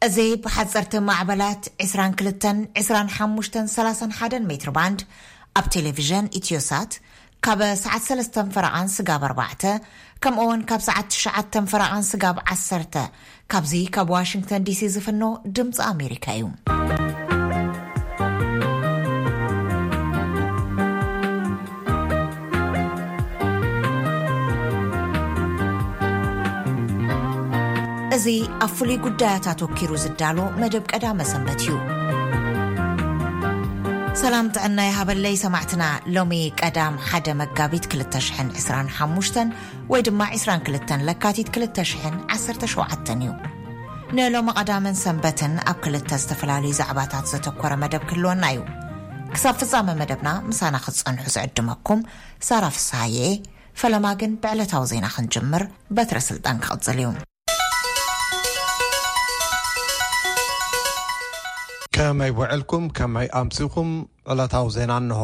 እዚ ብሓፀርቲ ማዕበላት ዕስራን ክልተን፣ ዕስራን ሓሙሽተን፣ ሰላሳን ሓደን ሜትር ባንድ ኣብ ቴሌቪዥን ኢትዮሳት ካብ ሰዓት ሰለስተን ፈረቓን ስጋብ ኣርባዕተ፣ ከምኡ እውን ካብ ሰዓት ትሽዓተን ፈረቓን ስጋብ ዓሰርተ፣ ካብዚ ካብ ዋሽንግተን ዲሲ ዝፍኖ ድምፂ ኣሜሪካ እዩ። እዚ ኣብ ፍሉይ ጉዳያት ኣተኪሩ ዝዳሎ መደብ ቀዳመ ሰንበት እዩ። ሰላም ጥዕና ይሃበለይ ሰማዕትና። ሎሚ ቀዳም ሓደ መጋቢት ክልተ ሽሕን ዕስራን ሓሙሽተን ወይ ድማ ዕስራን ክልተን ለካቲት ክልተ ሽሕን ዓሰርተ ሸውዓተን እዩ። ንሎሚ ቀዳምን ሰንበትን ኣብ ክልተ ዝተፈላለዩ ዛዕባታት ዘተኮረ መደብ ክህልወና እዩ። ክሳብ ፍጻመ መደብና ምሳና ክትጸንሑ ዝዕድመኩም ሳራ ፍስሃየ። ፈለማ ግን ብዕለታዊ ዜና ክንጅምር፣ በትረ ስልጣን ክቕጽል እዩ። ከመይ ውዕልኩም፣ ከመይ ኣምሲኹም? ዕለታዊ ዜና እንሆ።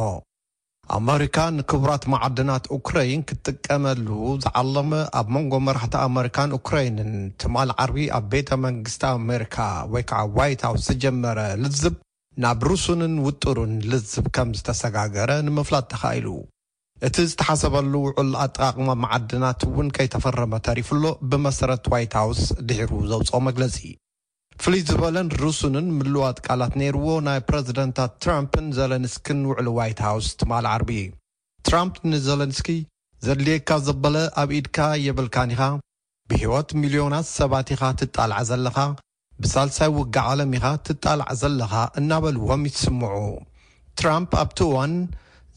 ኣመሪካ ንክቡራት መዓድናት ኡክረይን ክትጥቀመሉ ዝዓለመ ኣብ መንጎ መራሕቲ ኣመሪካን ኡክረይንን ትማል ዓርቢ ኣብ ቤተ መንግስቲ ኣመሪካ ወይ ከዓ ዋይት ሃውስ ዝጀመረ ልዝብ ናብ ርሱንን ውጥሩን ልዝብ ከም ዝተሰጋገረ ንምፍላጥ ተኻኢሉ። እቲ ዝተሓሰበሉ ውዕል ኣጠቓቕማ መዓድናት እውን ከይተፈረመ ተሪፉ ኣሎ፣ ብመሰረት ዋይት ሃውስ ድሒሩ ዘውፅኦ መግለፂ። ፍልይ ዝበለን ርሱንን ምልዋጥ ቃላት ነይርዎ ናይ ፕረዚደንታት ትራምፕን ዘለንስክን ውዕል ዋይት ሃውስ ትማል ዓርቢ። ትራምፕ ንዘለንስኪ፣ "ዘድልየካ ዘበለ ኣብ ኢድካ የብልካን ኢኻ፣ ብህይወት ሚልዮናት ሰባት ኢኻ ትጣላዕ ዘለኻ፣ ብሳልሳይ ውግእ ዓለም ኢኻ ትጣላዕ ዘለኻ" እናበልዎም ይስምዑ። ትራምፕ ኣብቲ እዋን፣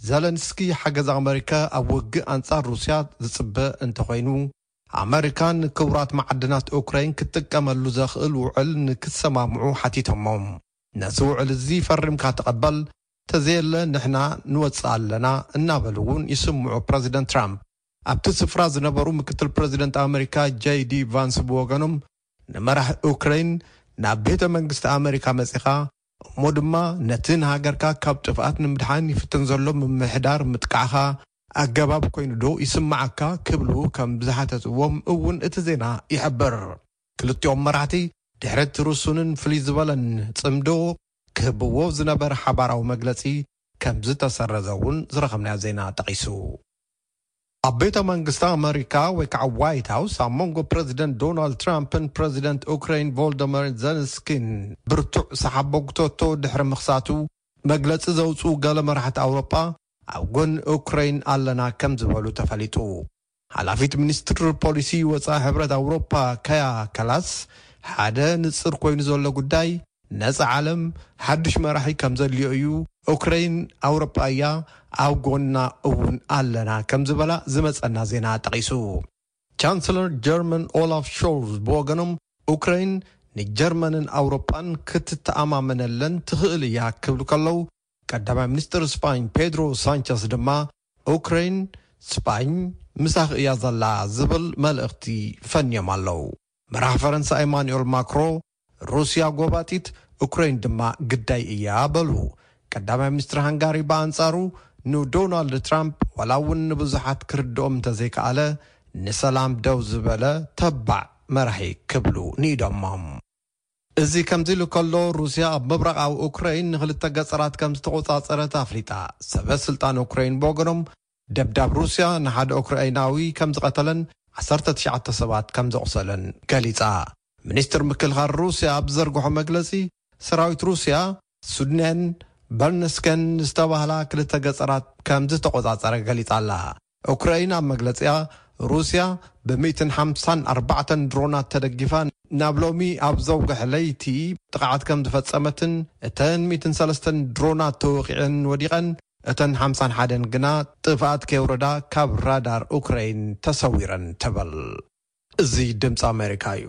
ዘለንስኪ ሓገዝ ኣመሪካ ኣብ ውግእ ኣንጻር ሩስያ ዝጽበ እንተኾይኑ፣ ኣመሪካ ንክቡራት መዓድናት ኡክራይን ክትጥቀመሉ ዘኽእል ውዕል ንክሰማምዑ ሓቲቶሞም። "ነዚ ውዕል እዚ ፈሪምካ ተቐበል፣ ተዘየለ ንሕና ንወጽእ ኣለና" እናበሉ እውን ይስምዑ ፕረዚደንት ትራምፕ። ኣብቲ ስፍራ ዝነበሩ ምክትል ፕረዚደንት ኣመሪካ ጄይ ዲ ቫንስ ብወገኖም፣ ንመራሒ ኡክራይን ናብ ቤተ መንግስቲ ኣመሪካ መጺኻ፣ እሞ ድማ ነቲ ንሃገርካ ካብ ጥፍኣት ንምድሓን ይፍትን ዘሎ ምምሕዳር ምጥቃዕኻ ኣገባብ ኮይኑ ዶ ይስምዓካ ክብሉ ከም ዝሓተትዎም እውን እቲ ዜና ይሕብር። ክልቲኦም መራሕቲ ድሕሪ እቲ ርሱንን ፍልይ ዝበለን ጽምዶ ክህብዎ ዝነበረ ሓባራዊ መግለጺ ከም ዝተሰረዘ እውን ዝረኸብናዮ ዜና ጠቒሱ። ኣብ ቤተ መንግስቲ ኣመሪካ ወይ ከዓ ዋይት ሃውስ ኣብ መንጎ ፕረዚደንት ዶናልድ ትራምፕን ፕረዚደንት ኡክራይን ቮልደመር ዘለንስኪን ብርቱዕ ሰሓቦ ጉተቶ ድሕሪ ምኽሳቱ፣ መግለጺ ዘውፅኡ ገለ መራሕቲ ኣውሮጳ ኣብ ጎኒ ኡክራይን ኣለና ከም ዝበሉ ተፈሊጡ። ሓላፊት ሚኒስትሪ ፖሊሲ ወፃኢ ሕብረት ኣውሮፓ ካያ ካላስ፣ ሓደ ንፅር ኮይኑ ዘሎ ጉዳይ ነፃ ዓለም ሓዱሽ መራሒ ከም ዘድልዮ እዩ። ኡክራይን ኣውሮፓ እያ፣ ኣብ ጎና እውን ኣለና ከም ዝበላ ዝመፀና ዜና ጠቒሱ። ቻንስለር ጀርመን ኦላፍ ሾልዝ ብወገኖም፣ ኡክራይን ንጀርመንን ኣውሮፓን ክትተኣማመነለን ትኽእል እያ ክብሉ ከለዉ፣ ቀዳማይ ሚኒስትር ስፓኝ ፔድሮ ሳንቸስ ድማ፣ ኡክራይን ስፓኝ ምሳኺ እያ ዘላ ዝብል መልእኽቲ ፈንዮም ኣለዉ። መራሕ ፈረንሳ ኤማኑኤል ማክሮ፣ "ሩስያ ጎባጢት፣ ኡክራይን ድማ ግዳይ እያ" በሉ። ቀዳማይ ሚኒስትር ሃንጋሪ ብኣንጻሩ፣ ንዶናልድ ትራምፕ ዋላ እውን ንብዙሓት ክርድኦም እንተዘይከኣለ፣ ንሰላም ደው ዝበለ ተባዕ መራሒ ክብሉ ንኢዶሞም። እዚ ከምዚ ኢሉ ከሎ፣ ሩስያ ኣብ ምብራቓዊ ኡክራይን ንኽልተ ገጸራት ከም ዝተቖጻጸረት ኣፍሊጣ። ሰበ ስልጣን ኡክራይን ብወገኖም፣ ደብዳብ ሩስያ ንሓደ ኡክራይናዊ ከም ዝቐተለን ዓሰርተ ትሽዓተ ሰባት ከም ዘቑሰለን ገሊጻ። ሚኒስትር ምክልኻል ሩስያ ኣብ ዝዘርግሖ መግለጺ፣ ሰራዊት ሩስያ ሱድነን በርነስከን ዝተባህላ ክልተ ገጸራት ከም ዝተቖጻጸረ ገሊጻ ኣላ። ኡክራይን ኣብ መግለጺኣ፣ ሩስያ ብሚእትን ሓምሳን ኣርባዕተን ድሮናት ተደጊፋ ናብ ሎሚ ኣብ ዘውግሕ ለይቲ ጥቕዓት ከም ዝፈጸመትን፣ እተን ሚእትን ሰለስተን ድሮናት ተወቒዐን ወዲቐን፣ እተን ሓምሳን ሓደን ግና ጥፍኣት ከየውረዳ ካብ ራዳር ኡክራይን ተሰዊረን ትብል። እዚ ድምፂ ኣሜሪካ እዩ።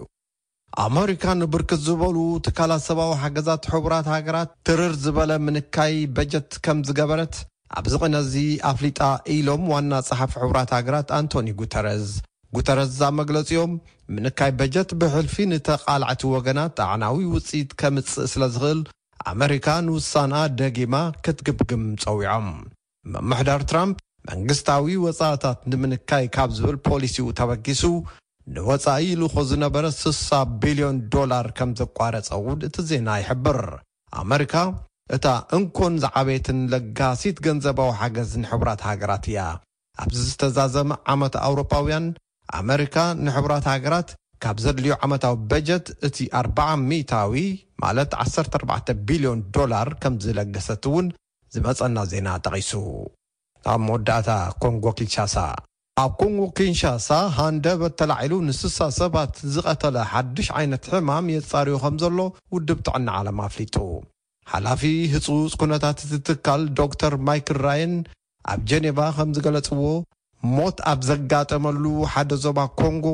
ኣመሪካ ንብርክት ዝበሉ ትካላት ሰብኣዊ ሓገዛት ሕቡራት ሃገራት ትርር ዝበለ ምንካይ በጀት ከም ዝገበረት ኣብዚ ቅነ እዚ ኣፍሊጣ ኢሎም ዋና ጸሓፊ ሕቡራት ሃገራት ኣንቶኒ ጉተረዝ። ጉተረዝ ኣብ መግለጺኦም፣ ምንካይ በጀት ብሕልፊ ንተቓላዕቲ ወገናት ኣዕናዊ ውጽኢት ከምጽእ ስለ ዝኽእል፣ ኣመሪካ ንውሳንኣ ደጊማ ክትግምግም ጸዊዖም። ምምሕዳር ትራምፕ መንግስታዊ ወጻእታት ንምንካይ ካብ ዝብል ፖሊሲኡ ተበጊሱ፣ ንወጻኢ ይልኾ ዝነበረ ስሳ ቢልዮን ዶላር ከም ዘቋረጸ እውን እቲ ዜና ይሕብር። ኣመሪካ እታ እንኮን ዝዓበየትን ለጋሲት ገንዘባዊ ሓገዝ ንሕቡራት ሃገራት እያ። ኣብዚ ዝተዛዘመ ዓመት ኣውሮፓውያን፣ ኣመሪካ ንሕቡራት ሃገራት ካብ ዘድልዮ ዓመታዊ በጀት እቲ ኣርባዓ ሚእታዊ፣ ማለት ዓሰርተ ኣርባዕተ ቢልዮን ዶላር ከም ዝለገሰት እውን ዝመጸና ዜና ጠቒሱ። ኣብ መወዳእታ፣ ኮንጎ ኪንሻሳ። ኣብ ኮንጎ ኪንሻሳ ሃንደበት ተላዒሉ ንስሳ ሰባት ዝቐተለ ሓድሽ ዓይነት ሕማም የጻርዮ ከም ዘሎ ውድብ ጥዕና ዓለም ኣፍሊጡ። ሓላፊ ህጹጽ ኩነታት እቲ ትካል ዶክተር ማይክል ራየን ኣብ ጀኔቫ ከም ዝገለጽዎ፣ ሞት ኣብ ዘጋጠመሉ ሓደ ዞባ ኮንጎ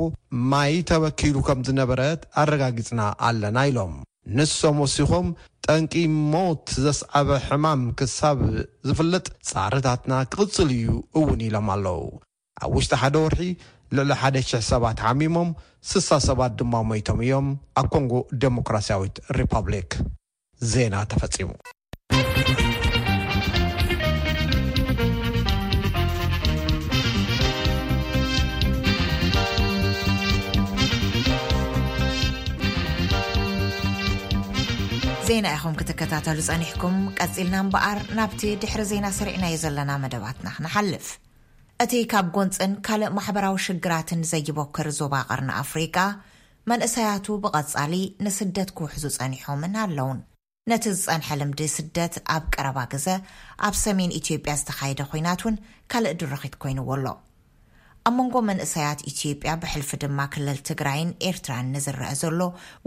ማይ ተበኪሉ ከም ዝነበረ ኣረጋጊጽና ኣለና ኢሎም። ንሶም ወሲኾም፣ ጠንቂ ሞት ዘስዓበ ሕማም ክሳብ ዝፍለጥ ጻዕርታትና ክቕጽል እዩ እውን ኢሎም ኣለዉ። ኣብ ውሽጢ ሓደ ወርሒ ልዕሊ ሓደ ሽሕ ሰባት ሓሚሞም፣ ስሳ ሰባት ድማ ሞይቶም እዮም። ኣብ ኮንጎ ዴሞክራሲያዊት ሪፐብሊክ። ዜና ተፈጺሙ። ዜና ኢኹም ክትከታተሉ ጸኒሕኩም። ቀጺልና እምበኣር ናብቲ ድሕሪ ዜና ሰሪዕናዮ ዘለና መደባትና ክንሓልፍ። እቲ ካብ ጎንጽን ካልእ ማሕበራዊ ሽግራትን ዘይቦክር ዞባ ቀርኒ ኣፍሪቃ፣ መንእሰያቱ ብቐጻሊ ንስደት ክውሕዙ ጸኒሖምን ኣለውን። ነቲ ዝጸንሐ ልምዲ ስደት ኣብ ቀረባ ግዘ ኣብ ሰሜን ኢትዮጵያ ዝተኻየደ ኲናት እውን ካልእ ድርኺት ኮይንዎ ኣሎ። ኣብ መንጎ መንእሰያት ኢትዮጵያ፣ ብሕልፊ ድማ ክልል ትግራይን ኤርትራን ንዝረአ ዘሎ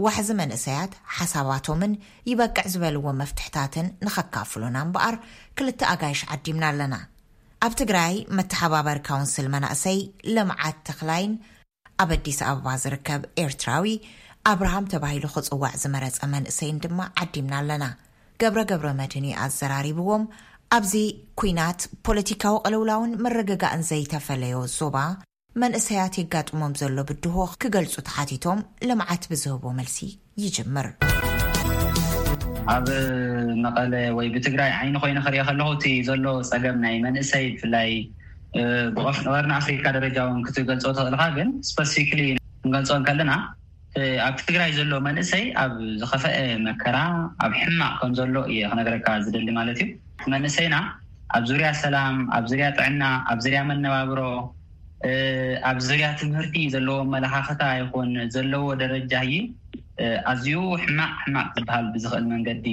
ዋሕዚ መንእሰያት፣ ሓሳባቶምን ይበቅዕ ዝበልዎ መፍትሕታትን ንኸካፍሉና እምበኣር፣ ክልተ ኣጋይሽ ዓዲምና ኣለና። ኣብ ትግራይ፣ መተሓባበሪ ካውንስል መናእሰይ ልምዓት ተኽላይን ኣብ ኣዲስ ኣበባ ዝርከብ ኤርትራዊ ኣብርሃም ተባሂሉ ክጽዋዕ ዝመረጸ መንእሰይን ድማ ዓዲምና ኣለና። ገብረ ገብረ መድህን እዩ ኣዘራሪብዎም። ኣብዚ ኲናት፣ ፖለቲካዊ ቅልውላውን ምርግጋእን ዘይተፈለዮ ዞባ፣ መንእሰያት የጋጥሞም ዘሎ ብድሆ ክገልጹ ተሓቲቶም፣ ልምዓት ብዝህቦ መልሲ ይጅምር። ኣብ መቐለ ወይ ብትግራይ ዓይኒ ኮይነ ክሪኦ ከለኹ፣ እቲ ዘሎ ጸገም ናይ መንእሰይ፣ ብፍላይ፣ እ፣ ብቐፍ-፣ ቀርኒ ኣፍሪካ ደረጃ እውን ክትገልጾ ትኽእልኻ፣ ግን ስፐሲፊክሊ ክንገልጾ እንከለና፣ እ፣ ኣብ ትግራይ ዘሎ መንእሰይ ኣብ ዝኸፈአ መከራ፣ ኣብ ሕማቕ ከም ዘሎ እየ ክነግረካ ዝደሊ ማለት እዩ። መንእሰይና ኣብ ዙርያ ሰላም፣ ኣብ ዙርያ ጥዕና፣ ኣብ ዙርያ መነባብሮ፣ እ፣ ኣብ ዙርያ ትምህርቲ ዘለዎ ኣመለኻኽታ ይኹን ዘለዎ ደረጃ እዩ፣ እ፣ ኣዝዩ ሕማቕ፣ ሕማቕ ዝበሃል ብዝኽእል መንገዲ፣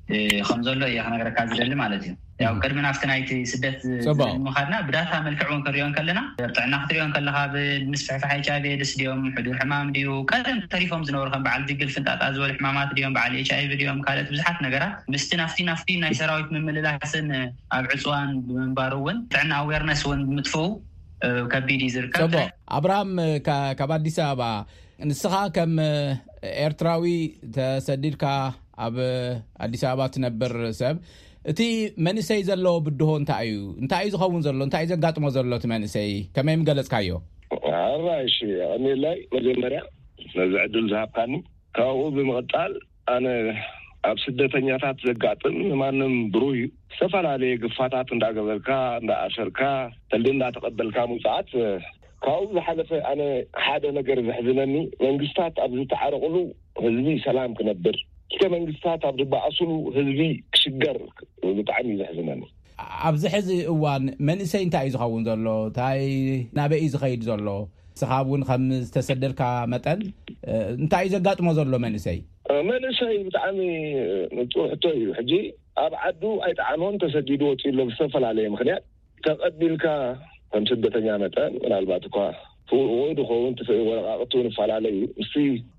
እ፣ ከም ዘሎ እየ ክነግረካ ዝደሊ ማለት እዩ። ያው፣ እም። ቅድሚ ናብቲ ናይቲ ስደት ጽቡቕ። ዝብል ምኻድና፣ ብዳታ መልክዕ እውን ክንሪኦ እንከለና፣ ጥዕና ክትሪኦ እንከለኻ፣ ብምስፍሕፋሕ ኤች ኣይ ቪ ኤድስ ድዮም፣ ሕዱር ሕማም ድዩ፣ ቀደም ተሪፎም ዝነበሩ ከም በዓል ድግል ፍንጣጣ ዝበሉ ሕማማት ድዮም፣ በዓል ኤች ኣይ ቪ ድዮም፣ ካልኦት ብዙሓት ነገራት፣ ምስቲ ናፍቲ፣ ናፍቲ ናይ ሰራዊት ምምልላስን ኣብ ዕፅዋን ብምንባሩ እውን፣ ጥዕና ኣዌርነስ እውን ብምጥፍኡ፣ እ፣ ከቢድ እዩ ዝርከብ። ጽቡቕ። ኣብርሃም፣ ካ-፣ ካብ ኣዲስ ኣበባ፣ ንስኻ ከም፣ እ፣ ኤርትራዊ ተሰዲድካ ኣብ ኣዲስ ኣበባ ትነብር ሰብ፣ እቲ መንእሰይ ዘለዎ ብድሆ እንታይ እዩ? እንታይ እዩ ዝኸውን ዘሎ? እንታይ እዩ ዘጋጥሞ ዘሎ እቲ መንእሰይ? ከመይ ምገለጽካዮ? ኣራይ፣ እሺ፣ የቐንየለይ መጀመርያ ነዚ ዕድል ዝሃብካኒ። ካብኡ ብምቕጻል፣ ኣነ ኣብ ስደተኛታት ዘጋጥም ንማንም ብሩህ እዩ። ዝተፈላለየ ግፋታት እንዳገበርካ፣ እንዳኣሰርካ፣ ተልዲ እንዳተቐበልካ ምውጻኣት፣ ካብኡ ዝሓለፈ ኣነ ሓደ ነገር ዘሕዝነኒ፣ መንግስታት ኣብ ዝተዓረቑሉ ህዝቢ ሰላም ክነብር፣ ክልተ መንግስታት ኣብ ዝበኣሱሉ ህዝቢ ክሽገር ብጣዕሚ እዩ ዘሕዝነኒ። ኣብዚ ሕዚ እዋን መንእሰይ እንታይ እዩ ዝኸውን ዘሎ? እንታይ ናበይ እዩ ዝኸይድ ዘሎ? ንስኻ እውን ከም ዝተሰደድካ መጠን፣ እ፣ እንታይ እዩ ዘጋጥሞ ዘሎ መንእሰይ? መንእሰይ ብጣዕሚ ንጹር ሕቶ እዩ። ሕጂ ኣብ ዓዱ ኣይጠዓሞን፣ ተሰዲዱ ወጺኡ ኣሎ ብዝተፈላለየ ምኽንያት። ተቐቢልካ ከም ስደተኛ መጠን ምናልባት እኳ ፍቑድ ክኸውን ትኽእል፣ ወረቓቕቱ ንፈላለ እዩ። ምስቲ፣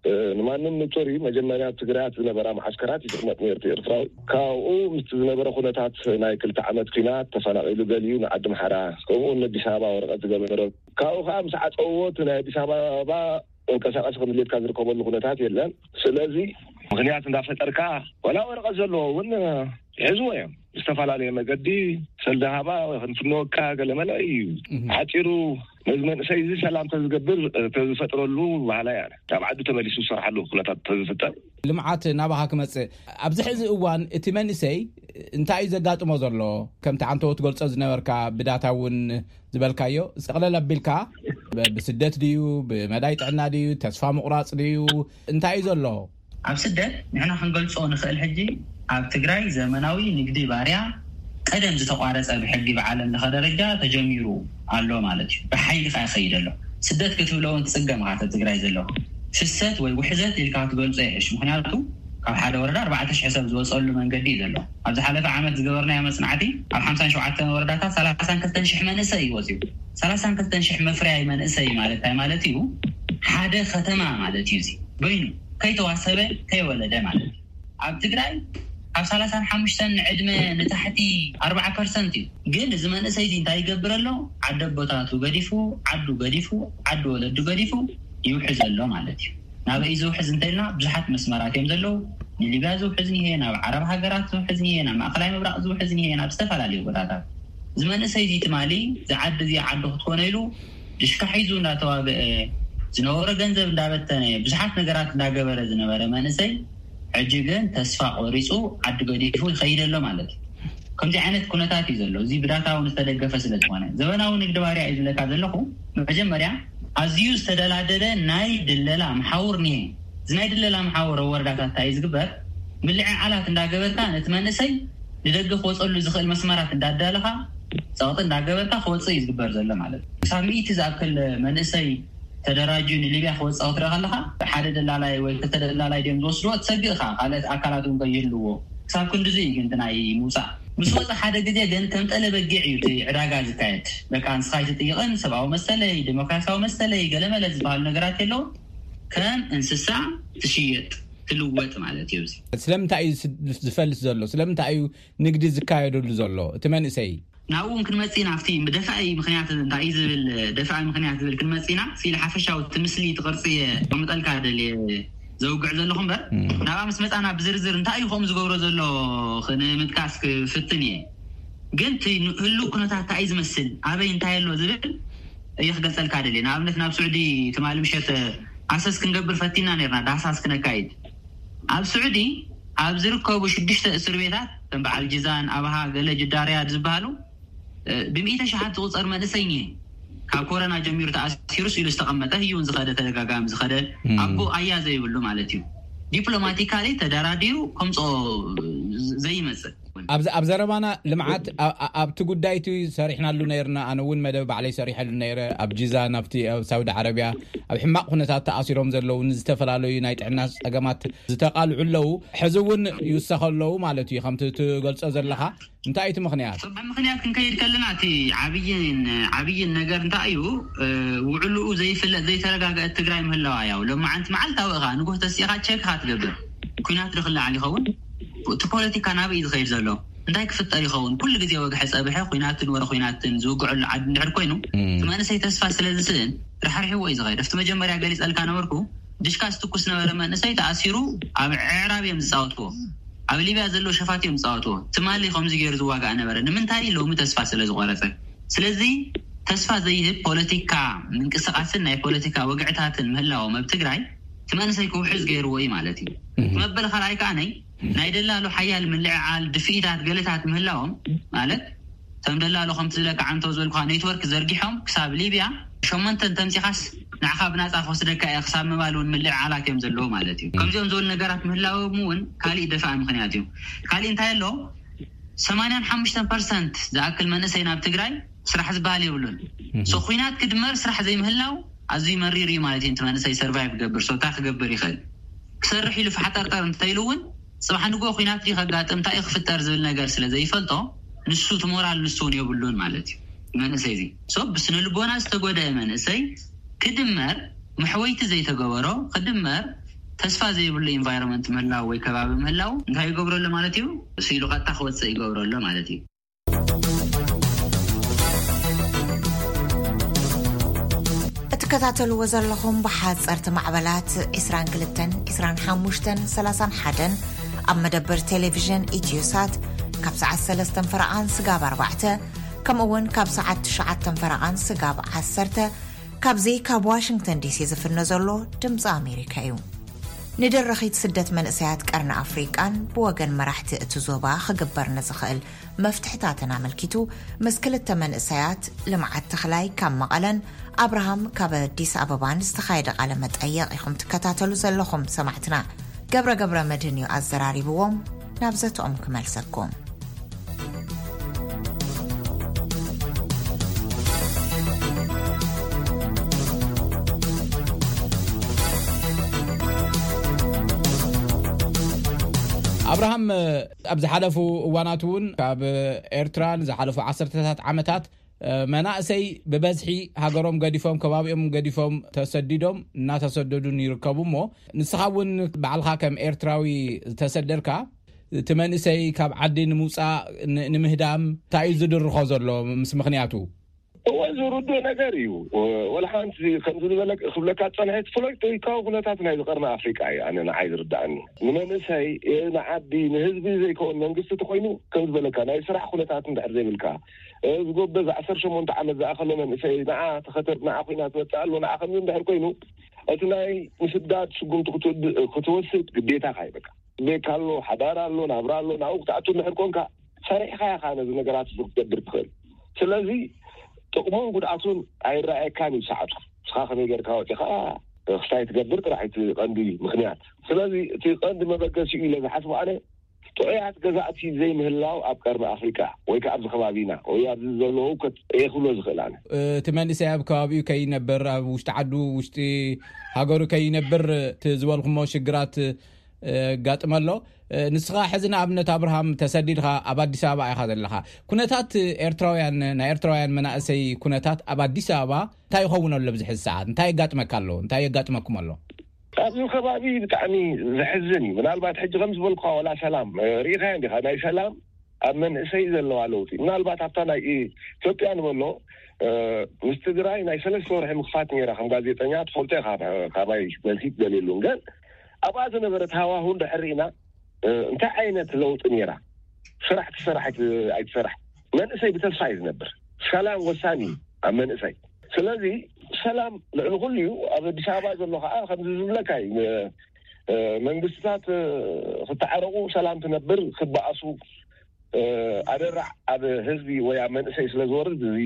እ፣ ንማንም ንጹር እዩ። መጀመርያ ኣብ ትግራያት ዝነበራ መዓስከራት ይቕመጥ ነይሩ እቲ ኤርትራዊ። ካብኡ ምስቲ ዝነበረ ኩነታት ናይ ክልተ ዓመት ኲናት ተፈናቒሉ፣ ገሊኡ ንዓዲ ምሓራ፣ ከምኡ እውን ኣዲስ ኣበባ ወረቐት ዝገበረ። ካብኡ ከዓ ምስ ዓጸውዎ እቲ ናይ ኣዲስ ኣበባ መንቀሳቐሲ ከም ድሌትካ ዝርከበሉ ኩነታት የለን። ስለዚ ምኽንያት እንዳፈጠርካ፣ ወላ ወረቐት ዘለዎ እውን ይሕዝዎ እዮም። ዝተፈላለየ መገዲ ሰልዲ ሃባ ወይ ክንፍንወካ ገለመለ እዩ። እህ። ሓፂሩ ነዚ መንእሰይ እዚ ሰላም ተዝገብር፣ ተዝፈጥረሉ በሃላይ እየ። ናብ ዓዱ ተመሊሱ ዝሰርሓሉ ኩነታት ተዝፍጠር። ልምዓት ናባኻ ክመጽእ፣ ኣብዚ ሕዚ እዋን እቲ መንእሰይ እንታይ እዩ ዘጋጥሞ ዘሎ? ከምቲ ዓንተዎ ትገልጾ ዝነበርካ ብዳታ እውን ዝበልካዮ፣ ጠቕለል ኣቢልካ ብስደት ድዩ፣ ብመዳይ ጥዕና ድዩ፣ ተስፋ ምቑራፅ ድዩ፣ እንታይ እዩ ዘሎ? ኣብ ስደት ንሕና ክንገልጾ ንኽእል። ሕጂ ኣብ ትግራይ ዘመናዊ ንግዲ ባርያ ቀደም ዝተቋረጸ ብሕጊ ብዓለም ለኸ ደረጃ ተጀሚሩ ኣሎ ማለት እዩ። ብሓይሊ ከኣ ይኸይድ ኣሎ። ስደት ክትብሎ እውን ትጽገም ኢኻ። ኣብ ትግራይ ዘሎ ፍሰት ወይ ውሕዘት ኢልካ ክትገልጾ ይሕሽ። ምኽንያቱ ካብ ሓደ ወረዳ ኣርባዕተ ሽሕ ሰብ ዝወጸሉ መንገዲ እዩ ዘሎ። ኣብ ዝሓለፈ ዓመት ዝገበርናዮ መጽናዕቲ ኣብ ሓምሳን ሸውዓተን ወረዳታት ሰላሳን ክልተን ሽሕ መንእሰይ እዩ ወጺኡ። ሰላሳን ክልተን ሽሕ መፍረያይ መንእሰይ ማለት እንታይ ማለት እዩ? ሓደ ከተማ ማለት እዩ። እዚ በይኑ ከይተዋሰበ ከይወለደ ማለት እዩ። ኣብ ትግራይ ካብ ሰላሳን ሓሙሽተን ንዕድመ ንታሕቲ ኣርባዓ ፐርሰንት እዩ። ግን እዚ መንእሰይ እዚ እንታይ ይገብር ኣሎ? ዓደ ኣቦታቱ ገዲፉ፣ ዓዱ ገዲፉ፣ ዓዲ ወለዱ ገዲፉ ይውሕዝ ኣሎ ማለት እዩ። ናበይ ዝውሕዝ እንተልና ብዙሓት መስመራት እዮም ዘለዉ። ንሊብያ ዝውሕዝ እኒሄ፣ ናብ ዓረብ ሃገራት ዝውሕዝ እኒሄ፣ ናብ ማእኸላይ ምብራቕ ዝውሕዝ እኒሄ፣ ናብ ዝተፈላለዩ ቦታታት። እዚ መንእሰይ እዚ ትማሊ እዚ ዓዲ እዚ ዓዱ ክትኮነ ኢሉ ድሽካ ሒዙ እንዳተዋግአ፣ ዝነበሮ ገንዘብ እንዳበተነ፣ ብዙሓት ነገራት እንዳገበረ ዝነበረ መንእሰይ ሕጂ ግን ተስፋ ቆሪፁ ዓዲ ገዲፉ ይኸይድ ኣሎ ማለት እዩ። ከምዚ ዓይነት ኩነታት እዩ ዘሎ። እዚ ብዳታ እውን ዝተደገፈ ስለ ዝኾነ ዘበናዊ ንግዲ ባርያ እዩ ዝብለካ ዘለኹ። መጀመርያ ኣዝዩ ዝተደላደለ ናይ ድለላ መሓውር እኒሄ። እዚ ናይ ድለላ መሓውር ኣብ ወረዳታት እንታይ እዩ ዝግበር? ምልዕዓላት እንዳገበርካ ነቲ መንእሰይ ንደገ ክወፀሉ ዝኽእል መስመራት እንዳዳለኻ ጸቕጢ እንዳገበርካ ክወፅእ እዩ ዝግበር ዘሎ ማለት እዩ። ክሳብ ሚእቲ ዝኣክል መንእሰይ ተደራጅዩ ንሊብያ ክወፅእ ክትርኢ ከለኻ ሓደ ደላላይ ወይ ክልተ ደላላይ ድዮም ዝወስድዎ ትሰግእ ኢኻ። ካልኦት ኣካላት እውን ከይህልዎ ክሳብ ክንድዚ እዩ ግን እቲ ናይ ምውፃእ ምስ ወፀ ሓደ ግዜ ግን ከም ጠለ በጊዕ እዩ እቲ ዕዳጋ ዝካየድ። በቃ ንስኻ ኣይትጥይቕን፣ ሰብኣዊ መሰለይ፣ ዴሞክራሲያዊ መሰለይ፣ ገለመለ ዝበሃሉ ነገራት የለውን። ከም እንስሳ ትሽየጥ ትልወጥ ማለት እዩ። እዚ ስለምንታይ እዩ ዝፈልስ ዘሎ? ስለምንታይ እዩ ንግዲ ዝካየደሉ ዘሎ? እቲ መንእሰይ ናብኡ እውን ክንመጽእ ኢና። ኣብቲ ደፋኢ ምኽንያት እንታይ እዩ ዝብል፣ ደፋኢ ምኽንያት ዝብል ክንመጽእ ኢና። ስኢል ሓፈሻዊ እቲ ምስሊ እቲ ቅርጺ እየ ከምጠልካ ደልየ ዘውግዕ ዘለኹ እምበር ናብኣ ምስ መጻና ብዝርዝር እንታይ እዩ ከምኡ ዝገብሮ ዘሎ ክንምጥቃስ ክፍትን እየ። ግን እቲ ህሉው ኩነታት እንታይ እዩ ዝመስል፣ ኣበይ እንታይ ኣሎ ዝብል እየ ክገልጸልካ ደልየ። ንኣብነት ናብ ስዑዲ ትማሊ ምሸት ኣሰስ ክንገብር ፈቲና ነርና፣ ዳህሳስ ክነካይድ። ኣብ ስዑዲ ኣብ ዝርከቡ ሽዱሽተ እስር ቤታት ከም በዓል ጅዛን፣ ኣብሃ፣ ገለ ጅዳ ሪያድ ዝበሃሉ ብሚእቲ ሸሓት ዝቑጸር መንእሰይ እኒሀ። ካብ ኮረና ጀሚሩ ተኣሲሩስ ኢሉ ዝተቐመጠ ህይውን ዝኸደ ተደጋጋሚ ዝኸደ ኣቦ ኣያ ዘይብሉ ማለት እዩ። ዲፕሎማቲካሊ ተደራዲሩ ከምፅኦ ዘይመፅእ። ኣብ ዘረባና ልምዓት ኣብቲ ጉዳይ እቲ ሰሪሕናሉ ነይርና። ኣነ እውን መደብ ባዕለይ ሰሪሐሉ ነይረ። ኣብ ጂዛን ኣብቲ ኣብ ሳውዲ ዓረቢያ ኣብ ሕማቕ ኩነታት ተኣሲሮም ዘለዉ ንዝተፈላለዩ ናይ ጥዕና ፀገማት ዝተቓልዑ ኣለዉ። ሕዚ እውን ይውሰኸ ኣለዉ ማለት እዩ። ከምቲ ትገልጾ ዘለኻ እንታይ እቲ ምኽንያት? ምኽንያት ክንከይድ ከለና እቲ ዓብይን ዓብይን ነገር እንታይ እዩ? ውዕልኡ ዘይፍለጥ ዘይተረጋገአት ትግራይ ምህላዋ ያው ሎማዓንቲ መዓልታዊ ኢኻ ንጉህ ተሲኻ ቸክ ኢኻ ትገብር። ኩናት ዶ ክለዓል ይኸውን? እቲ ፖለቲካ ናበይ እዩ ዝኸይድ ዘሎ? እንታይ ክፍጠር ይኸውን? ኩሉ ግዜ ወግሐ ጸብሐ ኩናትን ወረ ኩናትን ዝውግዐሉ ዓዲ እንድሕር ኮይኑ እቲ መንእሰይ ተስፋ ስለ ዝስእን ራሕሪሕዎ እዩ ዝኸይድ። ኣብቲ መጀመርያ ገሊጸልካ ነበርኩ። ድሽካ ዝትኩስ ነበረ መንእሰይ ተኣሲሩ ኣብ ዕዕራብ እዮም ዝጻወትዎ። ኣብ ሊብያ ዘለዉ ሸፋት እዮም ዝጻወትዎ። ትማሊ ከምዚ ገይሩ ዝዋጋእ ነበረ። ንምንታይ? ሎሚ ተስፋ ስለ ዝቆረጸ። ስለዚ ተስፋ ዘይህብ ፖለቲካ ምንቅስቃስን ናይ ፖለቲካ ወግዕታትን ምህላዎም ኣብ ትግራይ እቲ መንእሰይ ክውሕዝ ገይርዎ እዩ ማለት እዩ። መበል ካልኣይ ከኣ ናይ ናይ ደላሎ ሓያል ምልዕዓል ድፍኢታት ገለታት ምህላዎም ማለት ከም ደላሎ ከምቲ ዝለካ ዓንተው ዝበልኩኻ ኔትወርክ ዘርጊሖም ክሳብ ሊብያ ሸሞንተን ተምፂኻስ ንዓኻ ብናፃ ክወስደካ እየ ክሳብ ምባል እውን ምልዕዓላት እዮም ዘለዉ ማለት እዩ። ከምዚኦም ዝበሉ ነገራት ምህላዎም እውን ካሊእ ደፋኢ ምኽንያት እዩ። ካሊእ እንታይ ኣሎ? ሰማንያን ሓሙሽተን ፐርሰንት ዝኣክል መንእሰይ ናብ ትግራይ ስራሕ ዝበሃል የብሉን። ሶ ኩናት ክድመር ስራሕ ዘይምህላው ኣዝዩ መሪር እዩ ማለት እዩ። እቲ መንእሰይ ሰርቫይቭ ክገብር ሶ እንታይ ክገብር ይኽእል? ክሰርሕ ኢሉ ፋሕጠርጠር እንተኢሉ እውን ፅባሕ ንግሆ ኩናት ድዩ ከጋጥም እንታይ እዩ ክፍጠር ዝብል ነገር ስለ ዘይፈልጦ ንሱ እቲ ሞራል ንሱ እውን የብሉን ማለት እዩ። መንእሰይ እዚ ሶ ብስነ ልቦና ዝተጎደአ መንእሰይ ክድመር መሕወይቲ ዘይተገበሮ ክድመር ተስፋ ዘይብሉ ኢንቫይሮንመንት ምህላው ወይ ከባቢ ምህላው እንታይ ይገብረሉ ማለት እዩ? ስኢሉ ቀጥታ ክወፅእ ይገብረሉ ማለት እዩ። እትከታተልዎ ዘለኹም ብሓፀርቲ ማዕበላት ዕስራን ክልተን፣ ዕስራን ሓሙሽተን፣ ሰላሳን ሓደን ኣብ መደበር ቴሌቪዥን ኢትዮሳት ካብ ሰዓት ሰለስተን ፈረቓን ስጋብ ኣርባዕተ ከምኡ እውን ካብ ሰዓት ትሽዓተን ፈረቓን ስጋብ ዓሰርተ ካብዚ ካብ ዋሽንግተን ዲሲ ዝፍኖ ዘሎ ድምፂ ኣሜሪካ እዩ። ንደረኺት ስደት መንእሰያት ቀርኒ ኣፍሪቃን ብወገን መራሕቲ እቲ ዞባ ክግበር ንዝኽእል መፍትሕታትን ኣመልኪቱ፣ ምስ ክልተ መንእሰያት ልምዓት ተኽላይ ካብ መቐለን ኣብርሃም ካብ ኣዲስ ኣበባን ዝተኻየደ ቃለ መጠየቕ ኢኹም ትከታተሉ ዘለኹም ሰማዕትና። ገብረ ገብረ መድህን እዩ ኣዘራሪብዎም። ናብ ዘተኦም ክመልሰኩም። ኣብርሃም፣ ኣብ ዝሓለፉ እዋናት እውን ካብ ኤርትራ ንዝሓለፉ ዓሰርተታት ዓመታት መናእሰይ ብበዝሒ ሃገሮም ገዲፎም፣ ከባቢኦም ገዲፎም ተሰዲዶም እናተሰደዱን ይርከቡ። እሞ ንስኻ እውን ባዕልኻ ከም ኤርትራዊ ዝተሰደድካ፣ እቲ መንእሰይ ካብ ዓዲ ንምውፃእ ን-፣ ንምህዳም እንታይ እዩ ዝድርኾ ዘሎ ምስ ምኽንያቱ? እወ፣ ዝርድኦ ነገር እዩ። ወላ ሓንቲ ከምዚ ዝበለ ክብለካ ዝጸንሐ፣ እቲ ፖለቲካዊ ኩነታት ናይ ዝቐርኒ ኣፍሪቃ እዩ ኣነ ንዓይ ዝርድኣኒ። ንመንእሰይ፣ ንዓዲ፣ ንህዝቢ ዘይከውን መንግስቲ ተኮይኑ፣ ከም ዝበለካ ናይ ስራሕ ኩነታት እንድሕር ዘይብልካ፣ ዝጎበዝ ዓሰርተ ሸሞንተ ዓመት ዝኣኸሎ መንእሰይ ንዓ ተኸተብ፣ ንዓ ኮይና ትመጽእ ኣሎ፣ ንዓ ከምዚ እንድሕር ኮይኑ፣ እቲ ናይ ምስዳድ ስጉምቲ ክትወድ-፣ ክትወስድ ግዴታኻ እዩ በቃ። ቤት ኣሎ፣ ሓዳር ኣሎ፣ ናብራ ኣሎ፣ ናብኡ ክትኣቱ እንድሕር ኮንካ፣ ሰሪሕኻ ኢኻ ነዚ ነገራት እዚ ክትገብር ትኽእል። ስለዚ ጥቕሙን ጉድኣቱን ኣይረኣየካን እዩ ሰዓቱ። ንስኻ ከመይ ጌርካ ወፂኻ ክስታይ ትገብር ጥራሕ እቲ ቀንዲ ምኽንያት። ስለዚ እቲ ቀንዲ መበገሲኡ ኢለ ዝሓስቦ ኣነ፣ ጥዑያት ገዛእቲ ዘይምህላው ኣብ ቀርኒ ኣፍሪቃ ወይ ከኣ ኣብዚ ከባቢና ወይ ኣብዚ ዘሎ ህውከት እየ ክብሎ ዝኽእል ኣነ። እቲ መንእሰይ ኣብ ከባቢኡ ከይነብር፣ ኣብ ውሽጢ ዓዱ፣ ውሽጢ ሃገሩ ከይነብር እቲ ዝበልኩሞ ሽግራት የጋጥም ኣሎ። ንስኻ ሕዚ ንኣብነት ኣብርሃም ተሰዲድኻ ኣብ ኣዲስ ኣበባ ኢኻ ዘለኻ። ኩነታት ኤርትራውያን፣ ናይ ኤርትራውያን መናእሰይ ኩነታት ኣብ ኣዲስ ኣበባ እንታይ ይኸውን ኣሎ ኣብዚ ሕዚ ሰዓት? እንታይ የጋጥመካ ኣሎ? እንታይ የጋጥመኩም ኣሎ? ኣብዚ ከባቢ ብጣዕሚ ዘሕዝን እዩ። ምናልባት ሕጂ ከም ዝበልኩኻ ዋላ ሰላም፣ እ፣ ርኢኻዮ እንዲኻ ናይ ሰላም ኣብ መንእሰይ ዘለዋ ለውጢ። ምናልባት ኣብታ ናይ ኢትዮጵያ ንበሎ፣ እ፣ ምስ ትግራይ ናይ ሰለስተ ወርሒ ምኽፋት ነይራ። ከም ጋዜጠኛ ትፈልጦ ኢኻ፣ ካባይ መልሲ ትደልየሉን። ግን ኣብኣ ዝነበረት ሃዋሁ እንድሕር ርኢና፣ እ፣ እንታይ ዓይነት ለውጢ ነይራ? ስራሕ ትሰራሕ ኣይት-፣ ኣይትሰራሕ፣ መንእሰይ ብተስፋ እዩ ዝነብር። ሰላም ወሳኒ እዩ ኣብ መንእሰይ። ስለዚ ሰላም ልዕሊ ኩሉ እዩ። ኣብ ኣዲስ ኣበባ ዘሎ ከዓ ከምዚ ዝብለካ እዩ፣ እ፣ እ፣ መንግስትታት፣ እ፣ ክተዓረቁ፣ ሰላም ትነብር፣ ክበኣሱ፣ እ፣ ኣደራዕ ኣብ ህዝቢ ወይ ኣብ መንእሰይ ስለ ዝወርድ፣ እዚ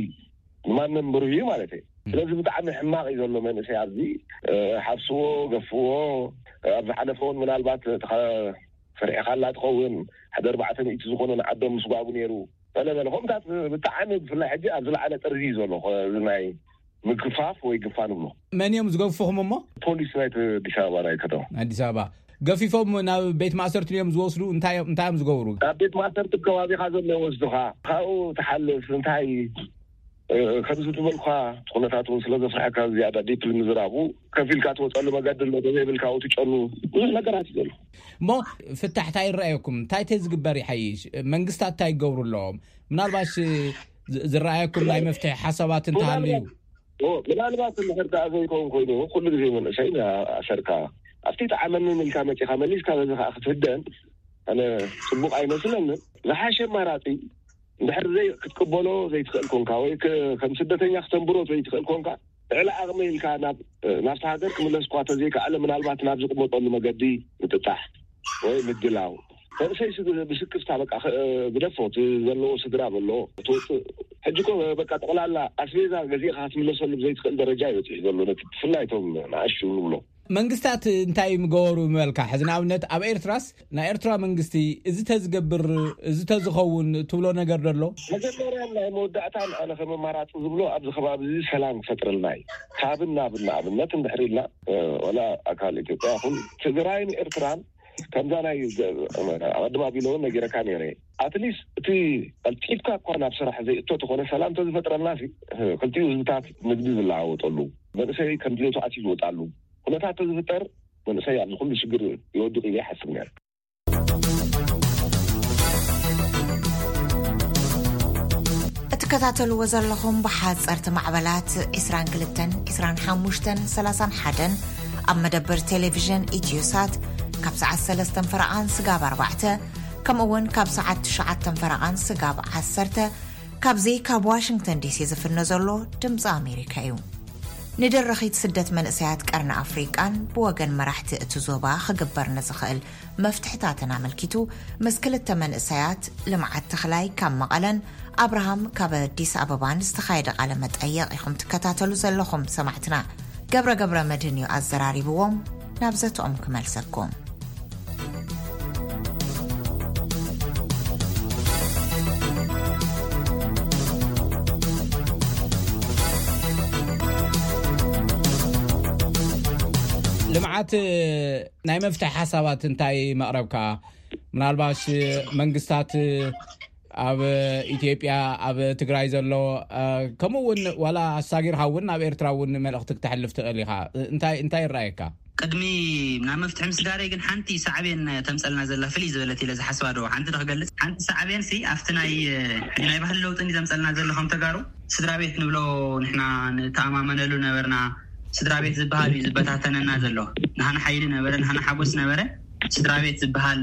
ንማንም ብሩህ እዩ ማለት እዩ። ስለዚ ብጣዕሚ ሕማቕ እዩ ዘሎ መንእሰይ ኣብዚ። እ፣ ሓብስዎ፣ ገፍዎ። ኣብ ዝሓለፈ እውን ምናልባት ተኸ-፣ ሰሪሕኻላ ትኸውን፣ ሓደ ኣርባዕተ ሚእቲ ዝኾኑ ንዓዶም ምስጓጉ ነይሩ። በለ በለ፣ ከምታት ብጣዕሚ ብፍላይ ሕጂ ኣብ ዝለዓለ ጥርዚ እዩ ዘሎ፣ እዚ ናይ ምግፋፍ ወይ ግፋ ንብሎ። መን እዮም ዝገፍኹም እሞ? ፖሊስ ናይቲ ኣዲስ ኣበባ ናይ ከተማ። ኣዲስ ኣበባ። ገፊፎም ናብ ቤት ማእሰርቲ እዮም ዝወስዱ? እንታይ እዮም፣ እንታይ እዮም ዝገብሩ? ኣብ ቤት ማእሰርቲ ከባቢኻ ዘሎ ይወስዱኻ። ካብኡ ትሓልፍ እንታይ፣ እ፣ ከምዚ ዝበልኳ ኩነታት እውን ስለ ዘፍርሐካ ዝያዳ ዲፕሊ ምዝራቡ፣ ከፊልካ ትወፀሉ መገዲ ኣሎ፣ ተዘይብልካ ኣብኡ ትጨኑ፣ ብዙሕ ነገራት እዩ ዘሎ። እሞ ፍታሕ እንታይ ይረኣየኩም? እንታይ ተዝግበር ይሓይሽ? መንግስታት እንታይ ይገብሩ ኣለዎም? ምናልባሽ ዝ-፣ ዝረኣየኩም ናይ መፍትሒ ሓሳባት እንተሃልዩ? ምናልባት፣ ኦ፣ ምናልባት እንድሕር ደኣ ዘይከውን ኮይኑ፣ ኩሉ ግዜ መንእሰይ ኣሰርካ ኣብቲ ጠዓመኒ ኢልካ መጺኻ መሊስካ በዚ ከዓ ክትህደን ኣነ ጽቡቕ ኣይመስለንን። ዝሓሸ ኣማራጺ እንድሕር ዘይ-፣ ክትቅበሎ ዘይትኽእል ኮንካ ወይ ከ-፣ ከም ስደተኛ ክተንብሮ ዘይትኽእል ኮንካ፣ ልዕሊ ዓቕሚ ኢልካ ናብ፣ ናብቲ ሃገር ክምለስ እኳ ተዘይከኣለ፣ ምናልባት ናብ ዝቕመጠሉ መገዲ ምጥጣሕ ወይ ምድላው። መንእሰይ ስ-፣ ብስክፍታ በቃ ኸ-፣ ግደፎ፣ እቲ ዘለዎ ስድራ በሎ፣ ትወፅእ። ሕጂ እኮ በቃ ጠቕላላ ኣስቤዛ ገዚእኻ ክትምለሰሉ ብዘይትኽእል ደረጃ እዩ በፂሑ ዘሎ፣ ነቲ ብፍላይ እቶም ንኣሽቱ ንብሎ። መንግስታት እንታይ ምገበሩ ምበልካ? ሕዚ ንኣብነት ኣብ ኤርትራስ ናይ ኤርትራ መንግስቲ እዚ ተዝገብር፣ እዚ ተዝኸውን ትብሎ ነገር ዶ ኣሎ? መጀመርያን ናይ መወዳእታን ኣነ ከም ኣማራጺ ዝብሎ ኣብዚ ከባቢ እዚ ሰላም ክፈጥረልና እዩ። ካብን ናብን ንኣብነት እንድሕር ኢልና፣ እ፣ ወላ ኣካል ኢትዮጵያ ይኹን ትግራይን ኤርትራን ከምዛ ናይ ገ-፣ ኣቐድም ኣቢለ እውን ነጊረካ ነይረ። ኣትሊስት እቲ ቀልጢፍካ እኳ ናብ ስራሕ ዘይእቶ ተኾነ ሰላም ተዝፈጥረልና ሲ፣ እ፣ ክልቲኡ ህዝብታት ንግዲ ዝለዋወጠሉ፣ መንእሰይ ከም ድሌቱ ኣትዩ ዝወጣሉ ኩነታት ተዝፍጠር መንእሰይ ኣብዚ ኩሉ ሽግር ይወድቕ ኢለ ይሓስብ ነይረ። እትከታተልዎ ዘለኹም ብሓጸርቲ ማዕበላት ዒስራን ክልተን፣ ዒስራን ሓሙሽተን፣ ሰላሳን ሓደን ኣብ መደበር ቴሌቪዥን ኢትዮሳት ካብ ሰዓት ሰለስተን ፈረቓን ስጋብ ኣርባዕተ፣ ከምኡ እውን ካብ ሰዓት ትሽዓተን ፈረቓን ስጋብ ዓሰርተ፣ ካብዚ ካብ ዋሽንግተን ዲሲ ዝፍኖ ዘሎ ድምፂ ኣሜሪካ እዩ። ንደረኺት ስደት መንእሰያት ቀርኒ ኣፍሪቃን ብወገን መራሕቲ እቲ ዞባ ክግበር ንዝኽእል መፍትሕታትን ኣመልኪቱ፣ ምስ ክልተ መንእሰያት ልምዓት ተኽላይ ካብ መቐለን ኣብርሃም ካብ ኣዲስ ኣበባን ዝተኻየደ ቃለ መጠየቕ ኢኹም ትከታተሉ ዘለኹም ሰማዕትና። ገብረ ገብረ መድህን እዩ ኣዘራሪብዎም። ናብ ዘተኦም ክመልሰኩም። ልምዓት ናይ መፍትሒ ሓሳባት እንታይ መቕረብካ? ምናልባሽ መንግስታት ኣብ ኢትዮጵያ፣ ኣብ ትግራይ ዘሎ፣ ከምኡ እውን ዋላ ኣሳጊርካ እውን ናብ ኤርትራ እውን መልእኽቲ ክተሕልፍ ትኽእል ኢኻ። እንታይ እንታይ ይረኣየካ? ቅድሚ ናብ መፍትሒ ምስጋረይ ግን ሓንቲ ሳዕቤን ተምፀልና ዘላ ፍልይ ዝበለት ኢለ ዝሓስባ ዶ ሓንቲ ዶ ክገልፅ? ሓንቲ ሳዕቤን ሲ ኣብቲ ናይ ሕጂ ናይ ባህሊ ለውጢ እንዲ ዘምፀልና ዘሎ ከም ተጋሩ ስድራ ቤት ንብሎ ንሕና ንተኣማመነሉ ነበርና። ስድራ ቤት ዝበሃል እዩ ዝበታተነና ዘሎ። ንሃና ሓይሊ ነበረ፣ ንሃና ሓጎስ ነበረ። ስድራ ቤት ዝበሃል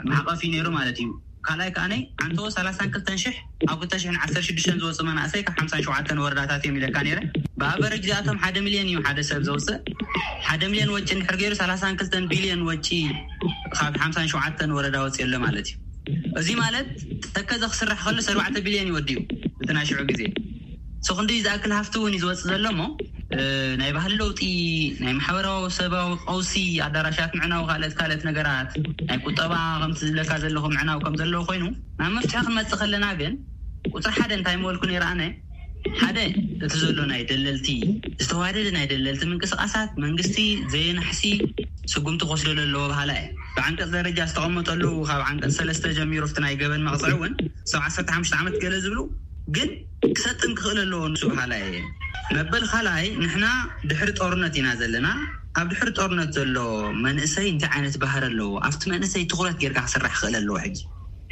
መዕቐፍ እዩ ነይሩ ማለት እዩ። ካልኣይ ከዓነይ ዓንተዎ ሰላሳን ክልተን ሽሕ ኣብ ክልተ ሽሕን ዓሰርተ ሽዱሽተን ዝወፁ መናእሰይ ካብ ሓምሳን ሸውዓተን ወረዳታት እዮም ኢለካ ነይረ። ብኣቨረጅ እዚኣቶም ሓደ ሚልዮን እዩ ሓደ ሰብ ዘውፅእ። ሓደ ሚልዮን ወጪ እንድሕር ገይሩ ሰላሳን ክልተን ቢልዮን ወጪ ካብ ሓምሳን ሸውዓተን ወረዳ ወፂ ኣሎ ማለት እዩ። እዚ ማለት ተከዘ ክስራሕ ከሎ ኣርባዕተ ቢልዮን ይወድዩ። እቲ ናይ ሽዑ ግዜ ሰኹንዲ ዝኣክል ሃፍቲ እውን እዩ ዝወፅእ ዘሎ እሞ ናይ ባህሊ ለውጢ፣ ናይ ማሕበራዊ ሰባዊ ቀውሲ፣ ኣዳራሻት ምዕናው፣ ካልኦት ካልኦት ነገራት፣ ናይ ቁጠባ ከምቲ ዝብለካ ዘለኹ ምዕናው ከም ዘለዎ ኮይኑ ናብ መፍትሒ ክንመፅእ ከለና ግን ቁፅሪ ሓደ እንታይ ምበልኩ ነይረ ኣነ? ሓደ እቲ ዘሎ ናይ ደለልቲ ዝተዋደደ ናይ ደለልቲ ምንቅስቃሳት መንግስቲ ዘየናሕሲ ስጉምቲ ክወስደሉ ኣለዎ በሃላ እየ። ብዓንቀፅ ደረጃ ዝተቐመጠሉ ካብ ዓንቀፅ ሰለስተ ጀሚሩ ኣብቲ ናይ ገበን መቕፅዒ እውን ሰብ ዓሰርተ ሓሙሽተ ዓመት ገለ ዝብሉ ግን ክሰጥም ክኽእል ኣለዎ ንሱ በሃላ እየ። መበል ካልኣይ ንሕና ድሕሪ ጦርነት ኢና ዘለና። ኣብ ድሕሪ ጦርነት ዘሎ መንእሰይ እንታይ ዓይነት ባህሪ ኣለዎ ኣብቲ መንእሰይ ትኹረት ጌርካ ክስራሕ ክኽእል ኣለዎ። ሕጂ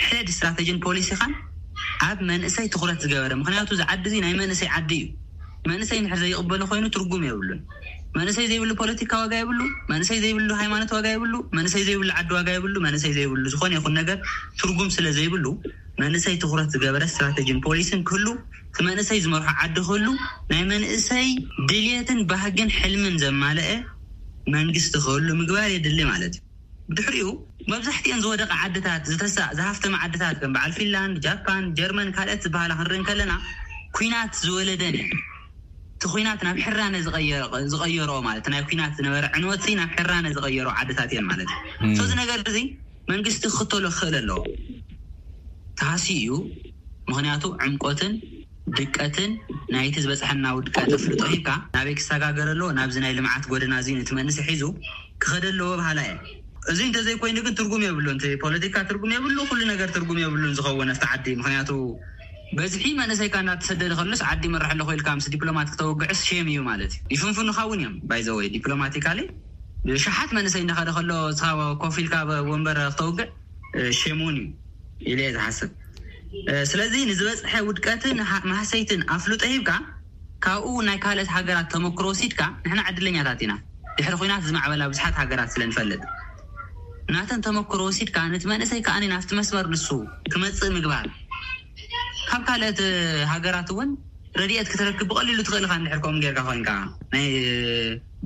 ሕድ ስትራተጂን ፖሊሲኻን ኣብ መንእሰይ ትኹረት ዝገበረ ምክንያቱ እዚ ዓዲ እዚ ናይ መንእሰይ ዓዲ እዩ። መንእሰይ ንሕር ዘይቕበሎ ኮይኑ ትርጉም የብሉን። መንእሰይ ዘይብሉ ፖለቲካ ዋጋ የብሉ። መንእሰይ ዘይብሉ ሃይማኖት ዋጋ የብሉ። መንእሰይ ዘይብሉ ዓዲ ዋጋ የብሉ። መንእሰይ ዘይብሉ ዝኾነ ይኹን ነገር ትርጉም ስለ ዘይብሉ መንእሰይ ትኹረት ዝገበረ ስትራተጂን ፖሊሲን ክህሉ እቲ መንእሰይ ዝመርሖ ዓዲ ክህሉ ናይ መንእሰይ ድልየትን ባህግን ሕልምን ዘማለአ መንግስቲ ክህሉ ምግባር የድሊ ማለት እዩ። ብድሕሪኡ መብዛሕትኤን ዝወደቐ ዓድታት ዝተሳ ዝሃፍተመ ዓድታት ከም በዓል ፊንላንድ፣ ጃፓን፣ ጀርመን ካልኦት ዝበሃላ ክንርኢ ከለና ኩናት ዝወለደን እየን። እቲ ኩናት ናብ ሕራነ ዝቐየሮ ማለት ናይ ኩናት ዝነበረ ዕንወት ናብ ሕራነ ዝቐየሮ ዓድታት እየን ማለት እዩ። እዚ ነገር እዚ መንግስቲ ክኽተሎ ክኽእል ኣለዎ። ተሃሲ እዩ። ምክንያቱ ዕምቆትን ድቀትን ናይቲ ዝበፅሐና ውድቀት ኣፍልጦ ሂብካ ናበይ ክሰጋገር ኣለዎ ናብዚ ናይ ልምዓት ጎደና እዚ ነቲ መንእሰይ ሒዙ ክኸደ ኣለዎ በሃላ እየ። እዚ እንተዘይኮይኑ ግን ትርጉም የብሉን። እቲ ፖለቲካ ትርጉም የብሉ፣ ኩሉ ነገር ትርጉም የብሉን ዝኸውን ኣብቲ ዓዲ። ምክንያቱ በዝሒ መንእሰይካ እናተሰደደ ከሎስ ዓዲ ይመርሕ ኣለኹ ኢልካ ምስ ዲፕሎማት ክተውግዕስ ሼም እዩ ማለት እዩ። ይፍንፍኑኻ እውን እዮም ባይዘወይ ዲፕሎማቲካሊ ብሽሓት መንእሰይ እናኸደ ከሎ እስኻ ኮፍ ኢልካ ወንበር ክተውግዕ ሼም እውን እዩ ኢለ እየ ዝሓስብ። ስለዚ ንዝበፅሐ ውድቀትን ማህሰይትን ኣፍልጦ ሂብካ ካብኡ ናይ ካልኦት ሃገራት ተመክሮ ወሲድካ ንሕና ዕድለኛታት ኢና። ድሕሪ ኩናት ዝማዕበላ ብዙሓት ሃገራት ስለ ንፈልጥ ናተን ተመክሮ ወሲድካ ነቲ መንእሰይ ከኣ ናብቲ መስመር ንሱ ክመፅእ ምግባር። ካብ ካልኦት ሃገራት እውን ረድኤት ክትረክብ ብቐሊሉ ትኽእል ኢኻ እንድሕር ከምኡ ጌርካ ኮይንካ ናይ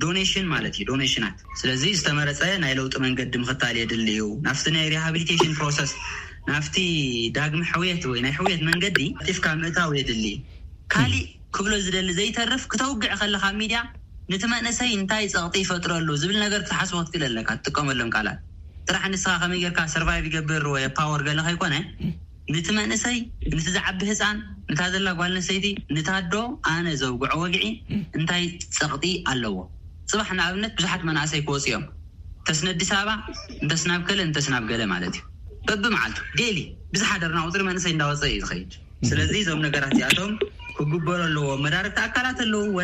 ዶኔሽን ማለት እዩ ዶኔሽናት። ስለዚ ዝተመረፀ ናይ ለውጢ መንገዲ ምኽታል የድሊ እዩ። ናብቲ ናይ ሪሃቢሊቴሽን ፕሮሰስ ናብቲ ዳግሚ ሕውየት ወይ ናይ ሕውየት መንገዲ ጢፍካ ምእታው የድሊ። ካሊእ ክብሎ ዝደሊ ዘይተርፍ ክተውግዕ ከለካ ሚድያ ነቲ መንእሰይ እንታይ ፀቕጢ ይፈጥረሉ ዝብል ነገር ክትሓስቦ ክትክእል ኣለካ ትጥቀመሎም ቃላት ጥራሕ ንስኻ ከመይ ጌርካ ሰርቫይቭ ይገብር ወይ ፓወር ገለ ከይኮነ ነቲ መንእሰይ ነቲ ዝዓቢ ህፃን ነታ ዘላ ጓል ኣንስተይቲ ነታ ኣዶ ኣነ ዘውግዖ ወግዒ እንታይ ፀቕጢ ኣለዎ? ፅባሕ ንኣብነት ብዙሓት መናእሰይ ክወፁ እዮም እንተስ ነኣዲስ ኣበባ እንተስ ናብ ከለ እንተስ ናብ ገለ ማለት እዩ። በብመዓልቱ ዴይሊ ብዝሓደርና ቁፅሪ መንእሰይ እንዳወፀ እዩ ዝኸይድ። ስለዚ እዞም ነገራት እዚኣቶም ክግበሩ ኣለዎም። መዳርግቲ ኣካላት ኣለውወ፣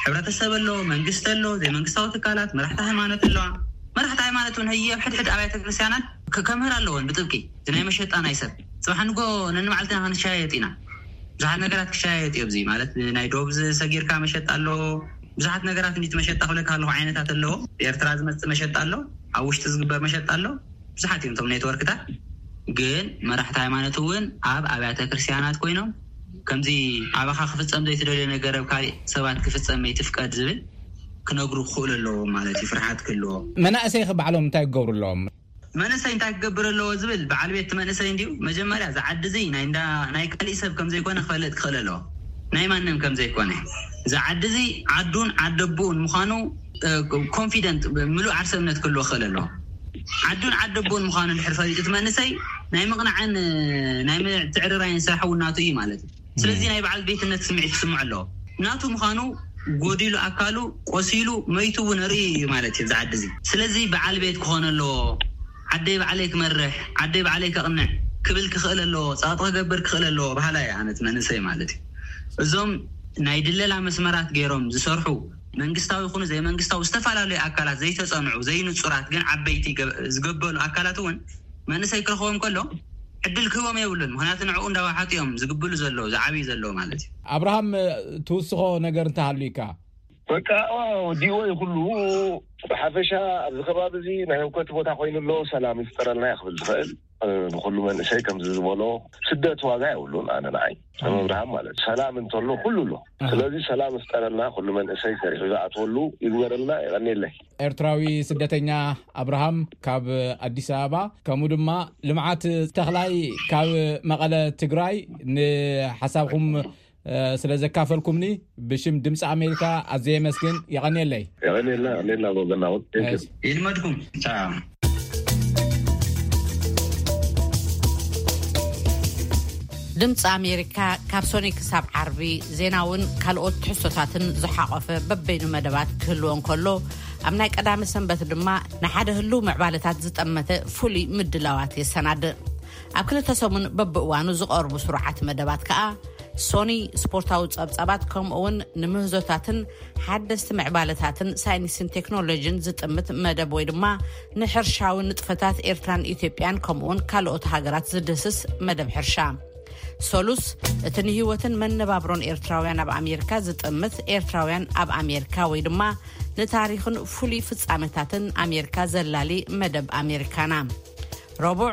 ሕብረተሰብ ኣሎ፣ መንግስቲ ኣሎ፣ ዘይመንግስታዊ ትካላት፣ መራሕቲ ሃይማኖት ኣለዋ። መራሕቲ ሃይማኖት እውን ህየ ኣብ ሕድሕድ ኣብያተ ክርስትያናት ከምህር ኣለዎን ብጥብቂ እዚ ናይ መሸጣ ናይ ሰብ ፅባሕ ንጎ ነንመዓልትና ክንሸያየጥ ኢና። ብዙሓት ነገራት ክሸያየጥ እዩ። ኣብዚ ማለት ናይ ዶብ ዝሰጊርካ መሸጣ ኣሎ። ብዙሓት ነገራት እንዲት መሸጣ ክብለካ ኣለኹ ዓይነታት ኣለዎ። ኤርትራ ዝመፅእ መሸጣ ኣሎ፣ ኣብ ውሽጢ ዝግበር መሸጣ ኣሎ። ብዙሓት እዮም እቶም ኔትወርክታት። ግን መራሕቲ ሃይማኖት እውን ኣብ ኣብያተ ክርስትያናት ኮይኖም ከምዚ ኣባኻ ክፍጸም ዘይትደልዮ ነገር ኣብ ካልእ ሰባት ክፍጸም ኣይትፍቀድ ዝብል ክነግሩ ክኽእሉ ኣለዎም ማለት እዩ። ፍርሓት ክህልዎ። መናእሰይ ኸ ባዕሎም እንታይ ክገብሩ ኣለዎም? መንእሰይ እንታይ ክገብር ኣለዎ ዝብል በዓል ቤት መንእሰይ እንዲዩ። መጀመርያ ዝዓዲ እዚ ናይ እንዳ ናይ ካልእ ሰብ ከም ዘይኮነ ክፈልጥ ክኽእል ኣለዎ። ናይ ማንም ከም ዘይኮነ፣ ዝዓዲ እዚ ዓዱን ዓደቦኡን ምዃኑ ኮንፊደንት፣ ምሉእ ዓርሰ እምነት ክህልዎ ክኽእል ኣለዎ። ዓዱን ዓደቦኡን ምዃኑ ድሕር ፈሊጡ እቲ መንእሰይ ናይ ምቕናዕን ናይ ምትዕርራይን ስራሕ እውን ናቱ እዩ ማለት እዩ። ስለዚ ናይ በዓል ቤትነት ስምዒት ክስምዖ ኣለዎ። ናቱ ምዃኑ ጎዲሉ ኣካሉ ቆሲሉ መይቱ እውን ርኢ እዩ ማለት እዩ። ዝዓዲ እዚ ስለዚ በዓል ቤት ክኾን ኣለዎ። ዓደይ ባዕለይ ክመርሕ፣ ዓደይ ባዕለይ ከቕንዕ ክብል ክኽእል ኣለዎ። ጸቕጢ ክገብር ክኽእል ኣለዎ። ባህላ እየ ኣነት መንእሰይ ማለት እዩ። እዞም ናይ ድለላ መስመራት ገይሮም ዝሰርሑ መንግስታዊ ይኹኑ ዘይመንግስታዊ ዝተፈላለዩ ኣካላት ዘይተጸንዑ ዘይንጹራት ግን ዓበይቲ ገ- ዝገበሉ ኣካላት እውን መንእሰይ ክረኽቦም ከሎ ዕድል ክህቦም የብሉን። ምክንያቱ ንዕኡ እንዳዋሓጡ እዮም ዝግብሉ ዘለዉ ዝዓብዩ ዘለዉ ማለት እዩ። ኣብርሃም፣ ትውስኾ ነገር እንተሃሉካ? በቃ፣ ወዲእዎ እዩ ኩሉ። ብሓፈሻ ኣብዚ ከባቢ እዚ ናይ ህውከት ቦታ ኮይኑ ኣሎ። ሰላም ይፍጠረልና እየ ክብል ዝኽእል። ንኩሉ መንእሰይ ከምዚ ዝበሎ ስደት ዋጋ የብሉን። ኣነ ንዓይ ከም ኣብርሃም ማለት ሰላም እንተሎ ኩሉ ኣሎ። ስለዚ ሰላም ይፍጠረልና፣ ኩሉ መንእሰይ ሰሪሑ ዝኣትወሉ ይግበረልና። የቐንየለይ። ኤርትራዊ ስደተኛ ኣብርሃም ካብ ኣዲስ ኣበባ፣ ከምኡ ድማ ልምዓት ተኽላይ ካብ መቐለ ትግራይ፣ ንሓሳብኩም ስለ ዘካፈልኩምኒ ብሽም ድምፂ ኣሜሪካ ኣዝየ የመስግን። የቐንየለይ። የቐንየልና። የቐንየልና። ወገናውን ይልመድኩም። ድምፂ ኣሜሪካ ካብ ሶኒ ክሳብ ዓርቢ ዜናውን ካልኦት ትሕዝቶታትን ዝሓቆፈ በበይኑ መደባት ክህልዎ እንከሎ፣ ኣብ ናይ ቀዳሚ ሰንበት ድማ ንሓደ ህልው ምዕባለታት ዝጠመተ ፍሉይ ምድላዋት የሰናድእ። ኣብ ክልተ ሰሙን በብእዋኑ ዝቐርቡ ስሩዓት መደባት ከኣ ሶኒ ስፖርታዊ ጸብጻባት፣ ከምኡውን ንምህዞታትን ሓደስቲ ምዕባለታትን ሳይንስን ቴክኖሎጂን ዝጥምት መደብ ወይ ድማ ንሕርሻዊ ንጥፈታት ኤርትራን ኢትዮጵያን ከምኡውን ካልኦት ሃገራት ዝድህስስ መደብ ሕርሻ። ሶሉስ፣ እቲ ንህይወትን መነባብሮን ኤርትራውያን ኣብ ኣሜሪካ ዝጥምት ኤርትራውያን ኣብ ኣሜሪካ ወይ ድማ ንታሪኽን ፍሉይ ፍጻመታትን ኣሜሪካ ዘላሊ መደብ ኣሜሪካና። ረቡዕ፣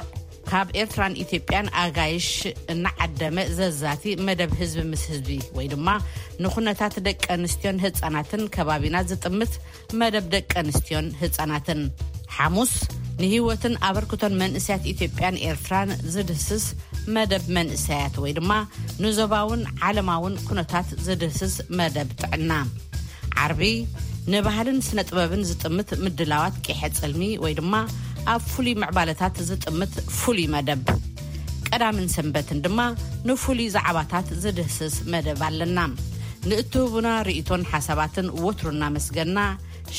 ካብ ኤርትራን ኢትዮጵያን ኣጋይሽ እናዓደመ ዘዛቲ መደብ ህዝቢ ምስ ህዝቢ ወይ ድማ ንኩነታት ደቂ ኣንስትዮን ህጻናትን ከባቢና ዝጥምት መደብ ደቂ ኣንስትዮን ህጻናትን። ሓሙስ፣ ንህይወትን ኣበርክቶን መንእሰያት ኢትዮጵያን ኤርትራን ዝድህስስ መደብ መንእሰያት ወይ ድማ ንዞባውን ዓለማውን ኩነታት ዝድህስስ መደብ ጥዕና። ዓርቢ፣ ንባህልን ስነ ጥበብን ዝጥምት ምድላዋት ቂሐ ጽልሚ ወይ ድማ ኣብ ፍሉይ ምዕባለታት ዝጥምት ፍሉይ መደብ። ቀዳምን ሰንበትን ድማ ንፍሉይ ዛዕባታት ዝድህስስ መደብ ኣለና። ንእትህቡና ርእይቶን ሓሳባትን ወትሩ እናመስገና፣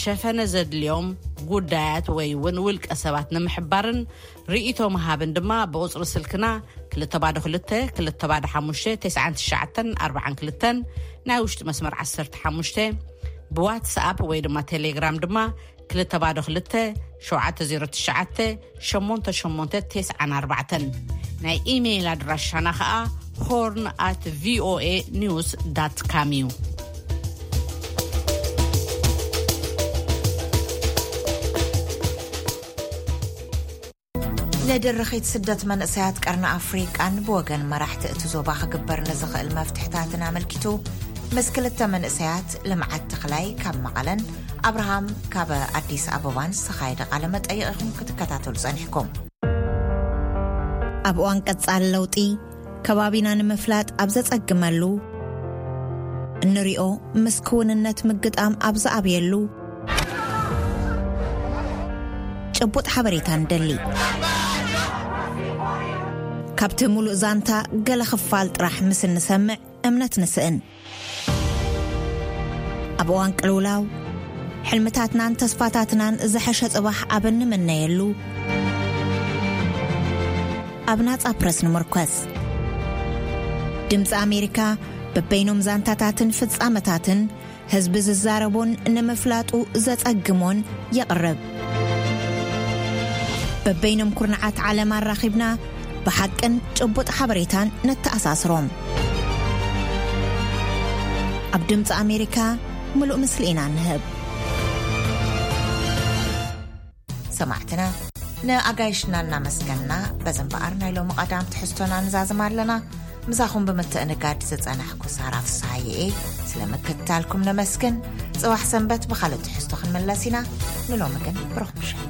ሸፈነ ዘድልዮም ጉዳያት ወይ እውን ውልቀ ሰባት ንምሕባርን ርእይቶ ምሃብን ድማ ብቁጽሪ ስልክና ክልተ ባዶ ክልተ፣ ክልተ ባዶ ሓሙሽተ፣ ተስዓን ትሽዓተን ኣርባዓን ክልተን፣ ናይ ውሽጢ መስመር ዓሰርተ ሓሙሽተ፣ ብዋትስኣፕ ወይ ድማ ቴሌግራም ድማ ክልተ ባዶ ክልተ፣ ሸውዓተ ዜሮ ትሽዓተ፣ ሸሞንተ ሸሞንተ ተስዓን ኣርባዕተን። ናይ ኢሜይል ኣድራሻና ኸኣ ሆርን ኣት ቪኦኤ ኒውስ ዳት ካም እዩ። ንድርኺት ስደት መንእሰያት ቀርኒ ኣፍሪቃን ብወገን መራሕቲ እቲ ዞባ ክግበር ንዝኽእል መፍትሕታትን ኣመልኪቱ ምስ ክልተ መንእሰያት ልምዓት ተኽላይ ካብ መቐለን ኣብርሃም ካብ ኣዲስ ኣበባን ዝተኻየደ ቃለ መጠይቕ ኢኹም ክትከታተሉ ጸኒሕኩም። ኣብ እዋን ቀጻሊ ለውጢ ከባቢና ንምፍላጥ ኣብ ዘጸግመሉ፣ እንሪኦ ምስ ክውንነት ምግጣም ኣብ ዝኣብየሉ፣ ጭቡጥ ሓበሬታ ንደሊ። ካብቲ ሙሉእ ዛንታ ገለ ክፋል ጥራሕ ምስ እንሰምዕ እምነት ንስእን። ኣብ እዋን ቅልውላው፣ ሕልምታትናን ተስፋታትናን ዝሐሸ ጽባሕ ኣብ እንምነየሉ፣ ኣብ ናጻ ፕረስ ንምርኮስ። ድምጺ ኣሜሪካ በበይኖም ዛንታታትን ፍጻመታትን ህዝቢ ዝዛረቦን ንምፍላጡ ዘጸግሞን የቕርብ። በበይኖም ኩርናዓት ዓለም ኣራኺብና ብሓቅን ጭቡጥ ሓበሬታን ነተኣሳስሮም። ኣብ ድምጺ ኣሜሪካ ምሉእ ምስሊ ኢና ንህብ። ሰማዕትና፣ ንኣጋይሽና እናመስገንና፣ በዚ እምበኣር ናይ ሎሚ ቀዳም ትሕዝቶና ንዛዝም ኣለና። ምሳኹም ብምትእንጋድ ዝጸናሕኩ ሳራ ፍስሃየ እየ። ስለ ምክትታልኩም ነመስግን። ጽባሕ ሰንበት ብኻልእ ትሕዝቶ ክንምለስ ኢና። ንሎሚ ግን ብሩኽ ምሸት።